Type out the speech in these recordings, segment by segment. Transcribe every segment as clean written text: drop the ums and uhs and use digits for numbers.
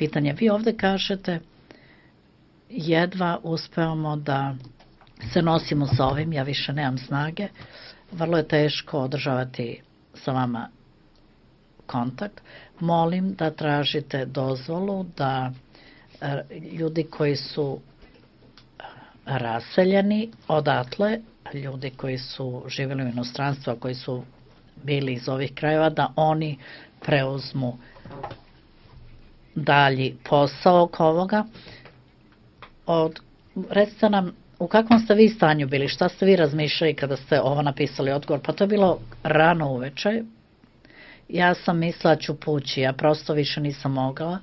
pitanje. Vi ovde kažete jedva uspevamo da se nosimo sa ovim, ja više nemam snage, vrlo je teško održavati sa vama kontakt. Molim da tražite dozvolu da ljudi koji su raseljeni odatle, ljudi koji su živjeli u inostranstvu, koji su bili iz ovih krajeva, da oni preuzmu dalji posao oko ovoga. Recite nam, u kakvom ste vi stanju bili, šta ste vi razmišljali kada ste ovo napisali odgovor? Pa to je bilo rano uveče. Ja sam mislila ću pući, ja prosto više nisam mogla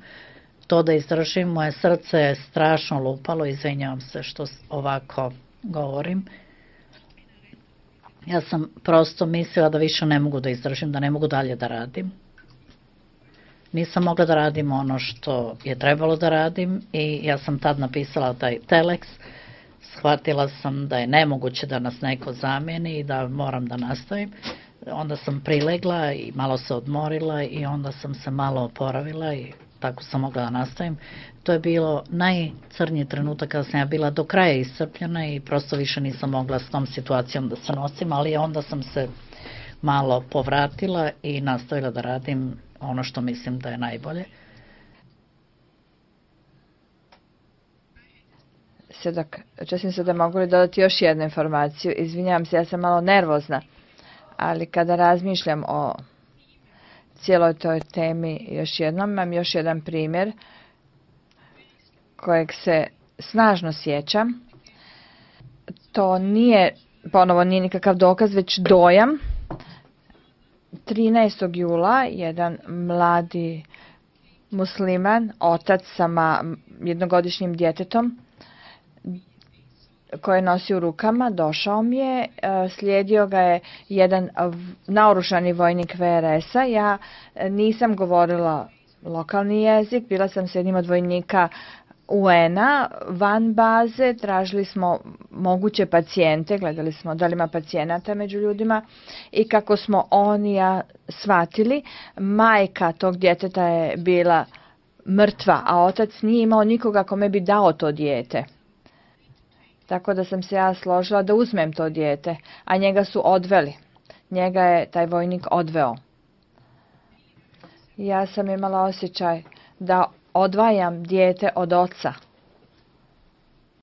to da izdržim, moje srce je strašno lupalo, izvinjavam se što ovako govorim. Ja sam prosto mislila da više ne mogu da izdržim, da ne mogu dalje da radim. Nisam mogla da radim ono što je trebalo da radim i ja sam tad napisala taj telex, shvatila sam da je nemoguće da nas neko zamijeni i da moram da nastavim. Onda sam prilegla i malo se odmorila i onda sam se malo oporavila i tako sam mogla da nastavim. To je bilo najcrnji trenutak kada sam ja bila do kraja iscrpljena i prosto više nisam mogla s tom situacijom da se nosim, ali onda sam se malo povratila i nastavila da radim ono što mislim da je najbolje. Sjedak, česim se da mogu li dodati još jednu informaciju. Izvinjavam se, ja sam malo nervozna, ali kada razmišljam o cijeloj toj temi još jednom, imam još jedan primjer kojeg se snažno sjećam. To nije, ponovo nije nikakav dokaz, već dojam. 13. jula jedan mladi musliman, otac sa jednogodišnjim djetetom, koje nosi u rukama, došao mi je, slijedio ga je jedan naoružani vojnik VRS-a. Ja nisam govorila lokalni jezik, bila sam s jednim od vojnika UN-a van baze, tražili smo moguće pacijente, gledali smo da li ima pacijenata među ljudima i kako smo oni ja shvatili, majka tog djeteta je bila mrtva, a otac nije imao nikoga kome bi dao to dijete. Tako da sam se ja složila da uzmem to dijete, a njega su odveli. Njega je taj vojnik odveo. Ja sam imala osjećaj da odvajam dijete od oca.